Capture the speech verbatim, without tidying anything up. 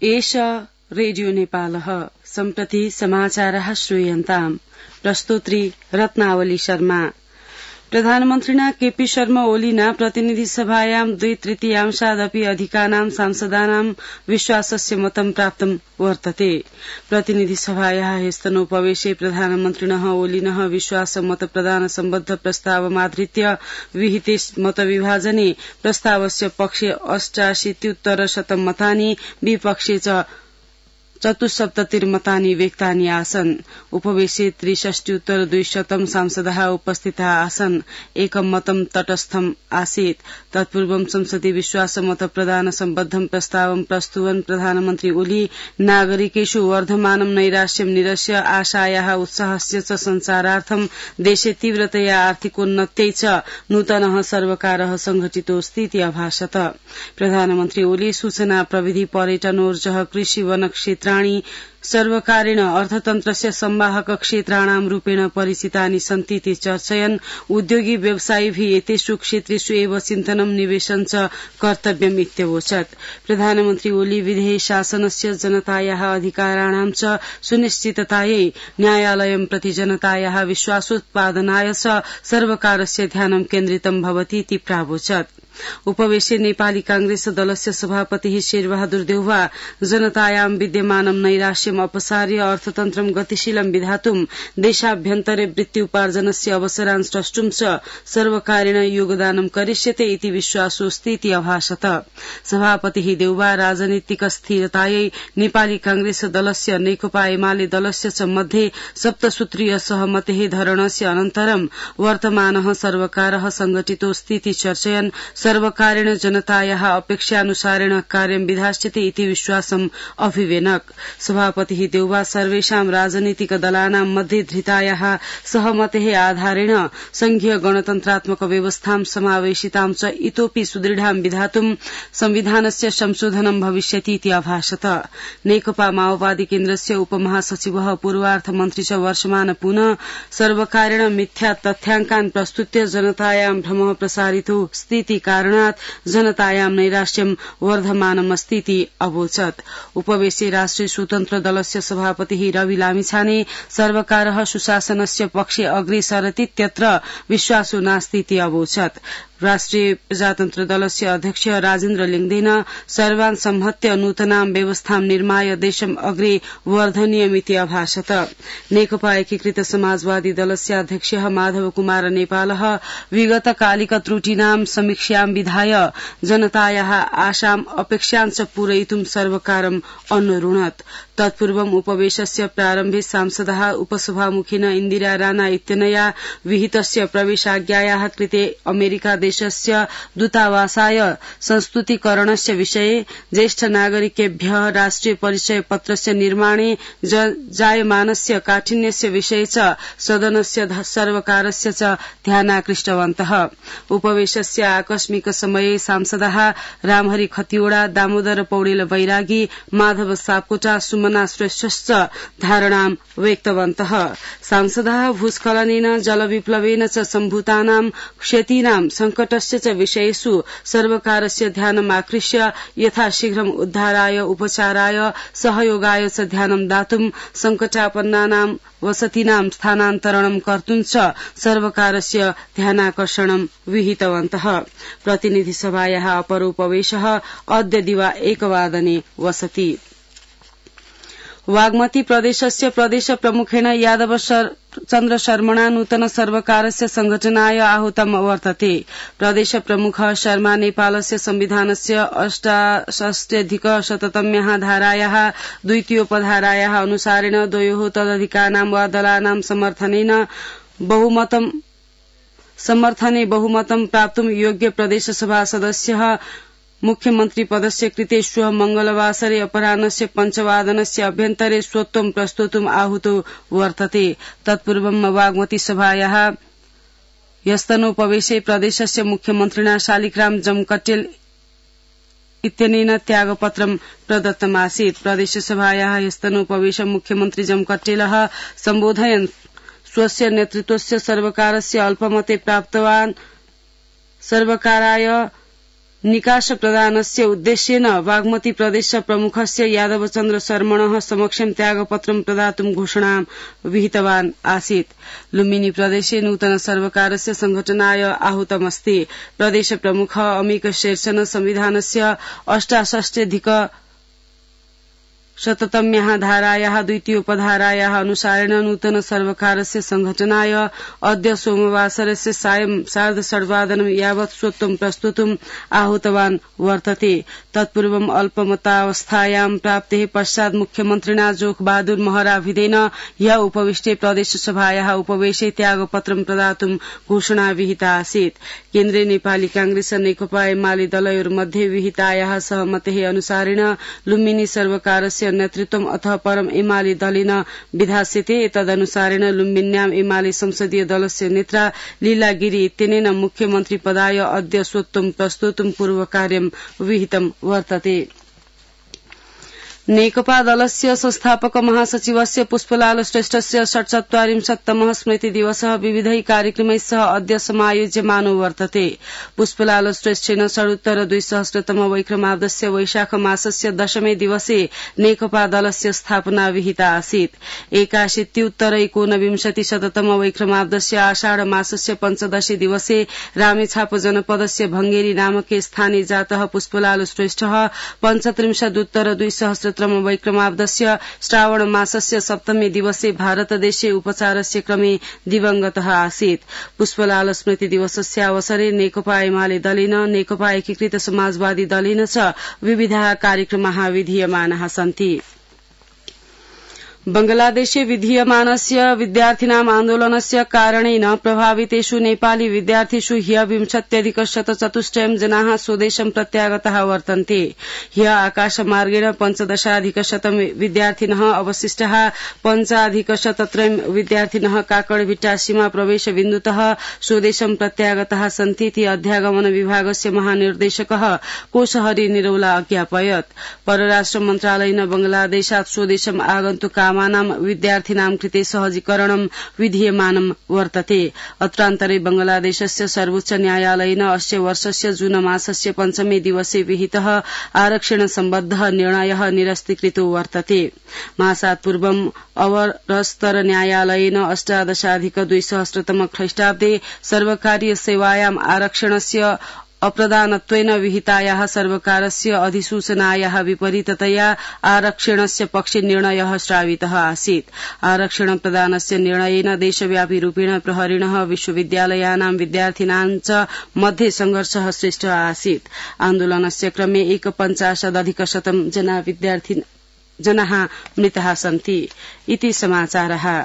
एष रेडियो नेपालः सम्प्रति समाचारः श्रूयन्ताम् प्रस्तुत्री रत्नावली शर्मा। प्रधानमन्त्रिणा केपी शर्मा ओलीना प्रतिनिधि सभायां द्वि तृतीयांशादपि अधिकानां सांसदानां विश्वासस्य मतं प्राप्तं वर्तते। प्रतिनिधि सभायाः ह्यस्तनोपवेशे प्रधानमन्त्रिणः ओलिनः विश्वास मत प्रदान सम्बद्ध प्रस्तावमाधृत्य विहिते मतविभाजने प्रस्तावस्य पक्षे अष्टाशीत्युत्तरशतं मतानि विपक्षे च चतुस्सप्ततिर्मतानि व्यक्तानि आसन्। उपवेशे त्रिषष्ट्युत्तर द्विशतं सांसदाः उपस्थिताः आसन्। एकं मतं तटस्थम् आसीत्। तत्पूर्वं संसदि विश्वास मत प्रदान सम्बद्धं प्रस्तावं प्रस्तुवन् प्रधानमन्त्री ओली नागरिकेषु वर्धमानं नैराश्यं निरस्य आशायाः उत्साहस्य च संचारार्थं देशे तीव्रतया आर्थिकोन्नत्यै च नूतनः सर्वकारः संघटितोऽस्तीति अभाषत। प्रधानमन्त्री ओली सूचना प्रविधि पर्यटनोर्जः कृषि वन क्षेत्र सर्वकारेण अर्थतन्त्रस्य संवाहक क्षेत्राणां रूपेण परिचितानि सन्तीति चर्चयन् उद्योगी व्यवसायिभिः एतेषु क्षेत्रेषु एव चिन्तनं निवेशं च कर्तव्यम् इत्यवोचत्। प्रधानमन्त्री ओली विधेय शासनस्य जनतायाः अधिकाराणां च सुनिश्चिततायै न्यायालयं प्रति जनतायाः विश्वासोत्पादनाय च सर्वकारस्य ध्यानं केन्द्रितं भवतीति प्रावोचत्। उपवेशे नेपाली कांग्रेस दलस्य सभापतिः शेरबहादुर देउवा जनतायां विद्यमानं नैराश्यम् अपसार्य अर्थतन्त्रं गतिशीलं विधातुं देशाभ्यन्तरे वृत्त्युपार्जनस्य अवसरान् स्रष्टुं च सर्वकारेण योगदानं करिष्यते इति विश्वासोऽस्तीति अभाषत। सभापतिः देउवा राजनीतिक स्थिरतायै नेपाली कांग्रेस दलस्य नेकपा एमाले दलस्य च मध्ये सप्तसूत्रीय सहमतेः धरणस्य अनन्तरं वर्तमानः सर्वकारः संघटितोऽस्तीति चर्चयन् सर्वकारेण जनतायाः अपेक्षानुसारेण कार्यं विधास्यते इति विश्वासम् अभिवेनक। सभापतिः देउवा सर्वेषां राजनीतिक दलानां मध्ये धृतायाः सहमतेः आधारेण संघीय गणतन्त्रात्मक व्यवस्थां समावेशितां च इतोपि सुदृढां विधातुं संविधानस्य संशोधनं भविष्यतीति अभाषत। नेकपा माओवादी केन्द्रस्य उपमहासचिवः पूर्वार्थमन्त्री च वर्षमान पुनः सर्वकारेण मिथ्या तथ्याङ्कान् प्रस्तुत्य जनतायां भ्रमः प्रसारितो स्थिति कारणात् जनतायां नैराश्यं वर्धमानमस्तीति अवोचत्। उपवेशे राष्ट्रिय स्वतन्त्र दलस्य सभापतिः रवि लामिछाने सर्वकारः सुशासनस्य पक्षे अग्रे सरतीत्यत्र विश्वासो नास्तीति अवोचत्। राष्ट्रिय प्रजातन्त्र दलस्य अध्यक्ष राजेन्द्र लिङ्गदेन सर्वान् संहत्य नूतनां व्यवस्थां निर्माय देशम् अग्रे वर्धनीयमिति अभाषत। नेकपा एकीकृत समाजवादी दलस्य अध्यक्ष माधव कुमार नेपालः विगतकालिक त्रुटीनां समीक्षां विधाय जनतायाः आशाम् अपेक्षां च पूरयितुं सर्वकारम् अनुरुणत्। तत्पूर्वम् उपवेशस्य प्रारम्भे सांसदाः उपसभामुखिन इन्दिरा राणा इत्यनया विहितस्य प्रवेशाज्ञायाः कृते अमेरिका देशस्य दूतावासाय संस्तुतीकरणस्य विषये ज्येष्ठ नागरिकेभ्यः राष्ट्रिय परिचय पत्रस्य निर्माणे जायमानस्य काठिन्यस्य विषये च सदनस्य सर्वकारस्य च ध्यानाकृष्टवन्तः। उपवेशस्य आकस्मिक समये सांसदाः रामहरि खतिवड़ा, दामोदर पौडेल बैरागी, माधव सापकोटा, सुमना श्रेष्ठश्च धारणां व्यक्तवन्तः। सांसदाः भूस्खलनेन जलविप्लवेन च सम्भूतानां क्षतीनां संकटस्य च विषयेषु सर्वकारस्य ध्यानम् आकृष्य यथाशीघ्रम् उद्धाराय उपचाराय सहयोगाय च ध्यानं दातुं संकटापन्नानां वसतीनां स्थानान्तरणं कर्तुं च सर्वकारस्य ध्यानाकर्षणं विहितवन्तः। प्रतिनिधि सभायाः अपरोपवेशः अद्य दिवा एकवादने वसति। वाग्मती प्रदेशस्य प्रदेश प्रमुखेण यादव चन्द्र शर्मणा नूतन सर्वकारस्य संघटनाय आहूतम् वर्तते। प्रदेश प्रमुखः शर्मा नेपालस्य संविधानस्य अष्टाषष्ट्यधिक शततम्याः धारायाः द्वितीयोपधारायाः अनुसारेण द्वयोः तदधिकानां वा दलानां समर्थनेन बहुमतं समर्थने बहुमतं प्राप्तुं योग्य प्रदेशसभा सदस्यः मुख्यमन्त्री पदस्य कृते श्वः मंगलवासरे अपराह्नस्य पञ्चवादनस्य अभ्यन्तरे स्वत्वं प्रस्तोतुम् आहूतो वर्तते। तत्पूर्वं वाग्मती सभायाः ह्यस्तनोपवेशे प्रदेशस्य मुख्यमन्त्रिणा शालिग्राम जमकटेल इत्यनेन त्यागपत्रं प्रदत्तमासीत्। प्रदेशसभायाः ह्यस्तनोपवेशं मुख्यमन्त्री जमकटेलः सम्बोधयन् स्वस्य नेतृत्वस्य सर्वकारस्य अल्पमते प्राप्तवान् सर्वकाराय निकास प्रदानस्य उद्देश्येन बागमती प्रदेश प्रमुखस्य यादवचन्द्र शर्मणः समक्षं त्यागपत्रं प्रदातुं घोषणां विहितवान् आसीत्। लुम्बिनी प्रदेशे नूतन सर्वकारस्य संघटनाय आहूतमस्ति। प्रदेश प्रमुख अमिक शेरचन संविधानस्य अष्टाषष्ट्यधिक शततम्याः धारायाः द्वितीयोपधारायाः अनुसारेण नूतन सर्वकारस्य संघटनाय अद्य सोमवासरस्य सायं सार्ध षड्वादनं यावत् स्वत्वं प्रस्तुतुम् आहूतवान् वर्तते। तत्पूर्वम् अल्पमतावस्थायां प्राप्तेः पश्चात् मुख्यमन्त्रिणा जोख बहादुर महराभिधेन ह्य उपविष्टे प्रदेशसभायाः उपवेशे त्यागपत्रं प्रदातुं घोषणा विहिता आसीत्। केन्द्रे नेपाली कांग्रेस नेकपा एमाले दलयोर्मध्ये विहितायाः सहमतेः अनुसारेण लुम्बिनी सर्वकारस्य नेतृत्वम् अतः परम् एमाले दलेन विधास्यते। तदनुसारेण लुम्बिन्याम् एमाले संसदीय दलस्य नेत्रा लीला गिरी इत्यनेन मुख्यमन्त्री पदाय अद्य स्वत्वं प्रस्तुतुं पूर्वकार्यं विहितं वर्तते। नेकपा दलस्य संस्थापक महासचिवस्य पुष्पलाल श्रेष्ठस्य षट्चत्वारिंशत्तमः स्मृति दिवसः विविधैः कार्यक्रमैः सह अद्य समायोज्यमानो वर्तते। पुष्पलाल श्रेष्ठेन षडुत्तर द्विसहस्रतम वैक्रमाब्दस्य वैशाख मासस्य दशमे दिवसे नेकपा दलस्य स्थापना विहिता आसीत्। एकाशीत्युत्तर एकोनविंशति शततम वैक्रमाब्दस्य आषाढ मासस्य पञ्चदशे दिवसे रामेछाप जनपदस्य भंगेरी नामके स्थाने जातः पुष्पलाल श्रेष्ठः पञ्चत्रिंशदुत्तर द्विसहस्र वैक्रमाब्दस्य श्रावण मासस्य सप्तमे दिवसे भारतदेशे उपचारस्य क्रमे दिवंगतः आसीत्। पुष्पलाल स्मृति दिवसस्य अवसरे नेकपा एमाले दलेन नेकपा एकीकृत समाजवादी दलेन च विविधाः कार्यक्रमाः विधीयमानाः सन्ति। बंगलादेशे विधीयमानस्य विद्यार्थिनाम् आन्दोलनस्य कारणेन प्रभावितेषु नेपाली विद्यार्थिषु ह्य विंशत्यधिक शतचतुष्टयं जनाः स्वदेशं प्रत्यागताः वर्तन्ते। ह्य आकाशमार्गेण पञ्चदशाधिक शतं विद्यार्थिनः अवशिष्टाः पञ्चाधिक शतत्रयं विद्यार्थिनः काकडभिट्टा सीमा प्रवेश बिन्दुतः स्वदेशं प्रत्यागताः सन्तीति अध्यागमन विभागस्य महानिर्देशकः कोशहरी निरौला अज्ञापयत्। परराष्ट्र मन्त्रालयेन बंगलादेशात् स्वदेशम् आगन्तुकाः विद्यार्थिनां कृते सहजीकरणं विधीयमानं वर्तते। अत्रान्तरे बंगलादेशस्य सर्वोच्च न्यायालयेन अस्य वर्षस्य जून मासस्य पञ्चमे दिवसे विहितः आरक्षण सम्बद्धः निर्णयः निरस्तीकृतो वर्तते। मासात् पूर्वम् अवरस्तर न्यायालयेन अष्टादशाधिक द्विसहस्रतम ख्रीष्टाब्दे सर्वकारीय सेवायाम् आरक्षणस्य अप्रदानत्वेन विहितायाः सर्वकारस्य अधिसूचनायाः विपरीततया आरक्षणस्य पक्षे निर्णयः श्रावितः आसीत्। आरक्षण प्रदानस्य निर्णयेन देशव्यापी रूपेण प्रहरिणः विश्वविद्यालयानां विद्यार्थिनां च मध्ये संघर्षः सृष्टः आसीत्। आन्दोलनस्य क्रमे एकपञ्चाशदधिक शतं जना विद्यार्थिनः जनाः मृताः सन्ति। इति समाचारः।